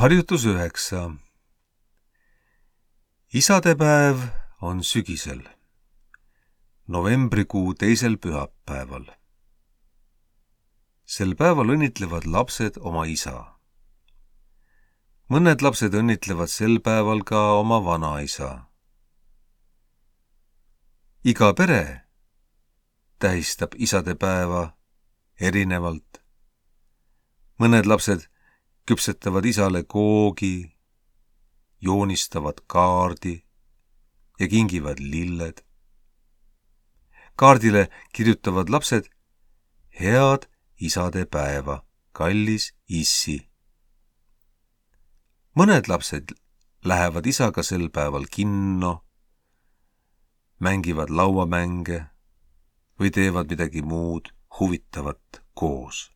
Harjutus 9. Isadepäev on sügisel, novembrikuu 2. pühapäeval. Sel päeval õnnitlevad lapsed oma isa. Mõned lapsed õnnitlevad sel päeval ka oma vanaisa. Iga pere tähistab isadepäeva erinevalt. Mõned lapsed küpsetavad isale koogi, joonistavad kaardi ja kingivad lilled. Kaardile kirjutavad lapsed: head isadepäeva, kallis issi. Mõned lapsed lähevad isaga sel päeval kinno, mängivad lauamänge või teevad midagi muud huvitavat koos.